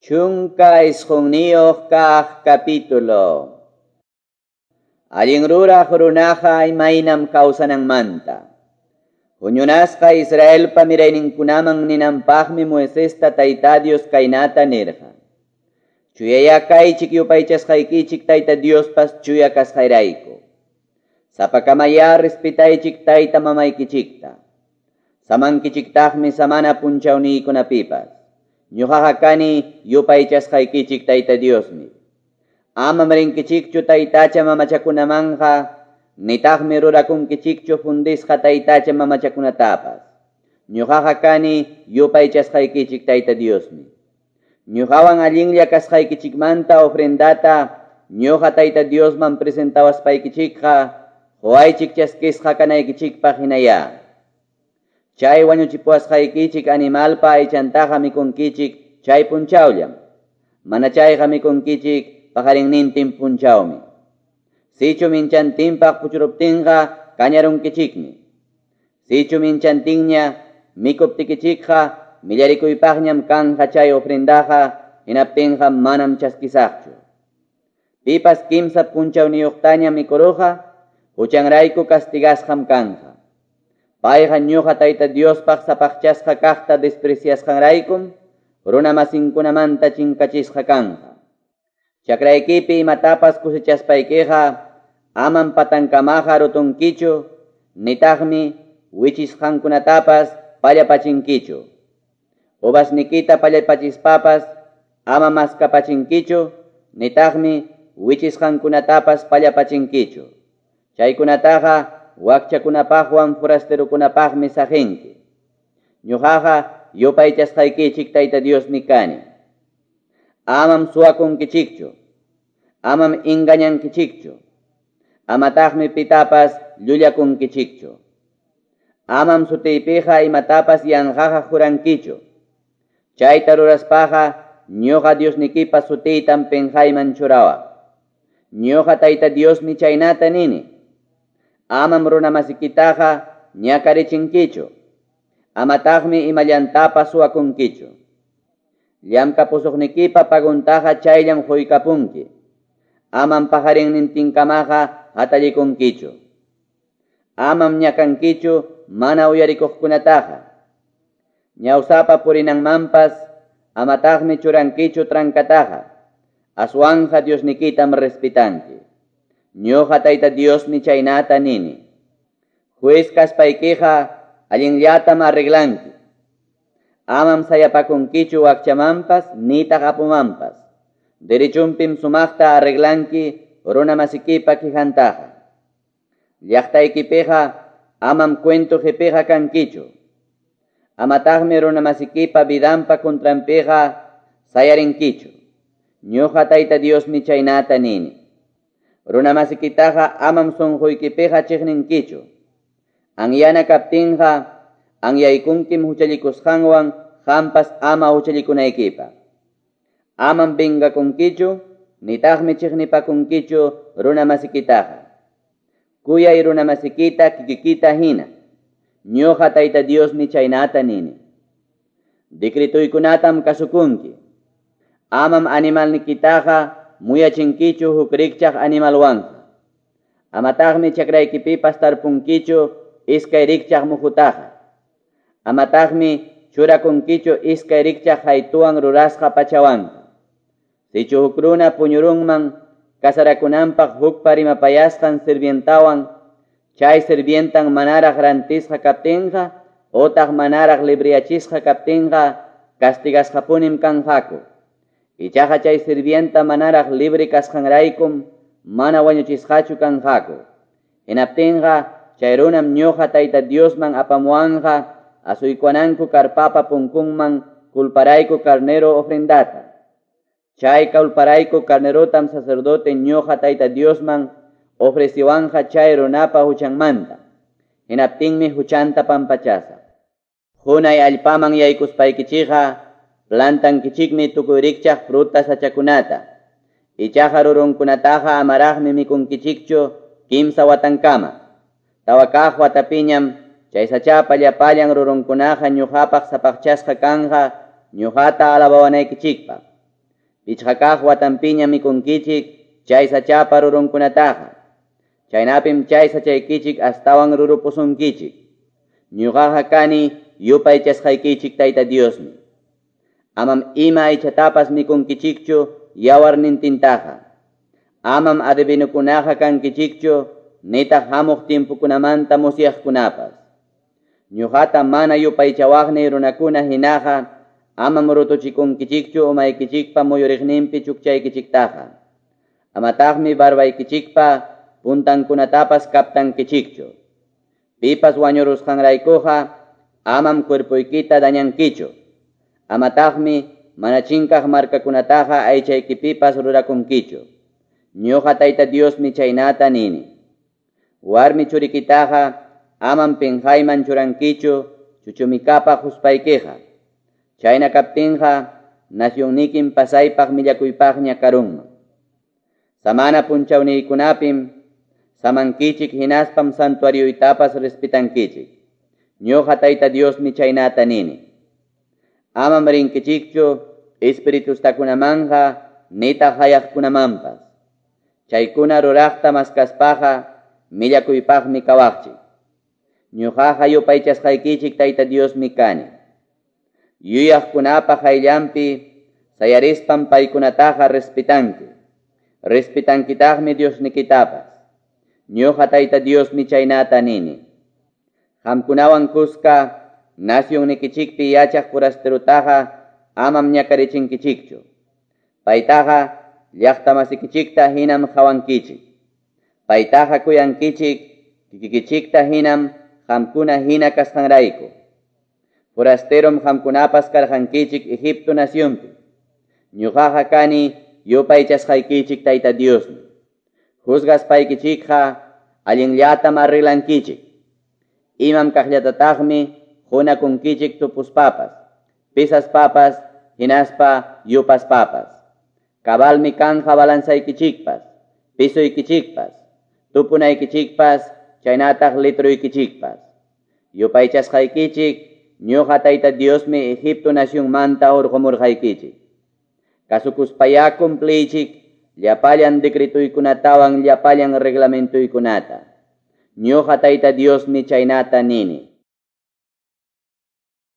19 kaq capítulo. Allin ruraq runaqa imaynam kawsananmanta. Huñunasqa Israelpa mirayninkunaman ninanpaqmi Moisesta Tayta Dios kaynata nirqa. Chuyayá kaychik yupaychasqaykichik Tayta Diospas chuya kasqayrayku. Sapakamayá respetaychik tayta mamaykichikta. Samankichiktaqmi samana punchawniykunapipas. Ñuqaqa kani yupaychasqaykichik Tayta Diosmi. Amam rinkichikchu taytacha mamachakunamanqa, nitaqmi rurakunkichikchu fundisqa taytacha mamachakunatapas. Ñuqaqa kani yupaychasqaykichik Tayta Diosmi. Ñuqawan allinlla kasqaykichikmanta ofrendata ñuqa Tayta Diosman presentawaspaykichikqa, quwaychik chaskisqa kanaykichikpaq hinayá. Chay wañuchipuwasqaykichik animalpa aychantaqa mikunkichik chay punchawllam. Mana chayqa mikunkichik paqarinnintin punchawmi. Sichu minchantinpaq puchuruptinqa kañarunkichikmi. Sichu minchantinña mikuptikichikqa millarikuypaqñam kanja chay ofrendaqa hinaptinqa manam chaskisaqchu. Pipas kimsa punchawniyuqtaña mikuruqa huchanrayku castigasqam kanja. Payqa ñuqa Tayta Diospaq sapaqchasqa kaqta despreciasqanraykum runa masinkunamanta chinkachisqa kanja. Chakraykipi imatapas kusichaspaykiqa amam patankamaqa rutunkichu, nitaqmi wichisqankunatapas pallapachinkichu. Uvasnikita pallapachispapas ama maskapachinkichu, nitaqmi wichisqankunatapas pallapachinkichu. Chaykunataqa wakchakunapaqwan forasterokunapaqmi saqinki. Ñuqaqa yupaychasqaykichik Tayta Diosmi kani. Amam suwakunkichikchu, amam engañankichikchu, amataqmi pitapas llullakunkichikchu. Amam sutiypiqa imatapas yanqaqa jurankichu. Chayta ruraspaqa ñuqa Diosnikipa sutiytam penqayman churawaq. Ñuqa Tayta Diosmi chaynata nini. Amam runamasikitaqa ñakarichinkichu. Amataqmi imallantapas suwakunkichu. Llamkapusuqnikipa paguntaqa chayllam quykapunki. Amam paqarinnintinkamaqa hatallikunkichu. Amam ñakankichu mana uyarikuqkunataqa. Ñawsapa purinanmanpas amataqmi churankichu trankataqa. Aswanja Diosnikitam respetanki. Ñuqa Tayta Diosmi chaynata nini. Juez kaspaykiqa allinllatam arreglanki. Amam sayapakunkichu wakchamanpas nitaq apumanpas. Derechunpim sumaqta arreglanki runa masikipa quijantaqa. Llaqtaykipiqa amam cuento qipiqa kankichu. Amataqmi runa masikipa vidanpa contranpiqa sayarinkichu. Ñuqa Tayta Diosmi chaynata nini. Runa masikitaqa amam sunquykipiqa chiqninkichu. Anyana kaptinqa anyaykunkim huchallikusqanwan qampas ama huchallikunaykipaq. Amam vengakunkichu, nitaqmi chiqnipakunkichu runa masikitaqa. Kuyay runa masikita kikikita hina. Ñuqa Tayta Diosmi chaynata nini. Decretuykunatam kasukunki. Amam animalnikitaqa muyachinkichu huk rikchaq animalwanqa. Amataqmi chakraykipipas tarpunkichu iskay rikchaq muhutaqa. Amataqmi churakunkichu iskay rikchaq haytuwan rurasqa pachawanqa. Sichu huk runa puñurunman kasarakunanpaq hukpa rimapayasqan sirvientawan, chay sirvientan manaraq rantisqa kaptinqa otaq manaraq libriyachisqa kaptinqa castigasqapunim kanqaku. Ichaqa chay sirvienta manaraq libre kasqanraykum mana wañuchisqachu kanqaku. Hinaptinqa chay runam ñuqa Tayta Diosman apamuwanqa asuykuwananku karpapa punkunman culparayku carnero ofrendata. Chay culparayku carnerotam sacerdote ñuqa Tayta Diosman ofreciwanqa chay runapa huchanmanta. Hinaptinmi huchanta pampachasa. Hunay allpaman yaykuspaykichikqa plantankichikmi tukuy rikchaq fruta sachakunata. Ichaqa rurunkunataqa amaraqmi mikunkichikchu kimsa watankama. Tawa kaq watapiñam chay sachapa llapallan rurunkunaqa ñuqapaq sapaqchasqa kanja ñuqata alabawanaykichikpaq. Pichqa kaq watanpiñam mikunkichik chay sachapa rurunkunataqa. Chaynapim chay sachaykichik astawan rurupusunkichik. Ñuqaqa kani yupaychasqaykichik Tayta Diosmi. Amam ima aychatapas mikunkichikchu yawarnintintaqa. Amam adivinukunaqa kankichikchu nitaq hamuq timpukunamanta musyaqkunapas. Ñuqata mana yupaychawaqniy runakuna hinaqa amam rutuchikunkichikchu umaykichikpa muyuriqninpi chukchaykichiktaqa. Amataqmi barbaykichikpa puntankunatapas kaptankichikchu. Pipas wañurusqanraykuqa amam cuerpoykita dañankichu. Amataqmi mana chinkaq markakunataqa aychaykipipas rurakunkichu. Ñuqa Tayta Diosmi chaynata nini. Warmi churikitaqa amam pinqayman churankichu chuchumikapaq huspaykiqa. Chayna kaptinqa nacionnikim pasaypaq millakuypaqña karunman. Samana punchawniykunapim samankichik hinaspam santuarioytapas respetankichik. Ñuqa Tayta Diosmi chaynata nini. Amam rinkichikchu espiritustakunamanqa nitaq hayaqkunamanpas. Chaykuna ruraqta maskaspaqa millakuypaqmi kawaqchik. Ñuqaqa yupaychasqaykichik Tayta Diosmi kani. Yuyaqkunapa qayllanpi sayarispam paykunataqa respetanki. Respetankitaqmi Diosnikitapas. Ñuqa Tayta Diosmi chaynata nini. Qamkunawan kuska nacionnikichikpi yachaq forasterutaqa amam ñakarichinkichikchu. Paytaqa llaqtamasikichikta hinam qawankichik. Paytaqa kuyankichik kikikichikta hinam qamkuna hina kasqanrayku. Forasterom qamkunapas karqankichik Egipto nacionpi. Ñuqaqa kani yupaychasqaykichik Tayta Diosmi. Juzgaspaykichikqa allinllatam arreglankichik. Imam kaqllatataqmi qunakunkichik tupuspapas, pisaspapas, hinaspa yupaspapas. Cabalmi kanja balanzaykichikpas, pisuykichikpas, tupunaykichikpas, chaynataq litruykichikpas. Yupaychasqaykichik ñuqa Tayta Diosmi Egipto nacionmanta hurqumurqaykichik. Kasukuspayá cumpliychik llapallan decretuykunatawan llapallan reglamentuykunata. Ñuqa Tayta Diosmi chaynata nini.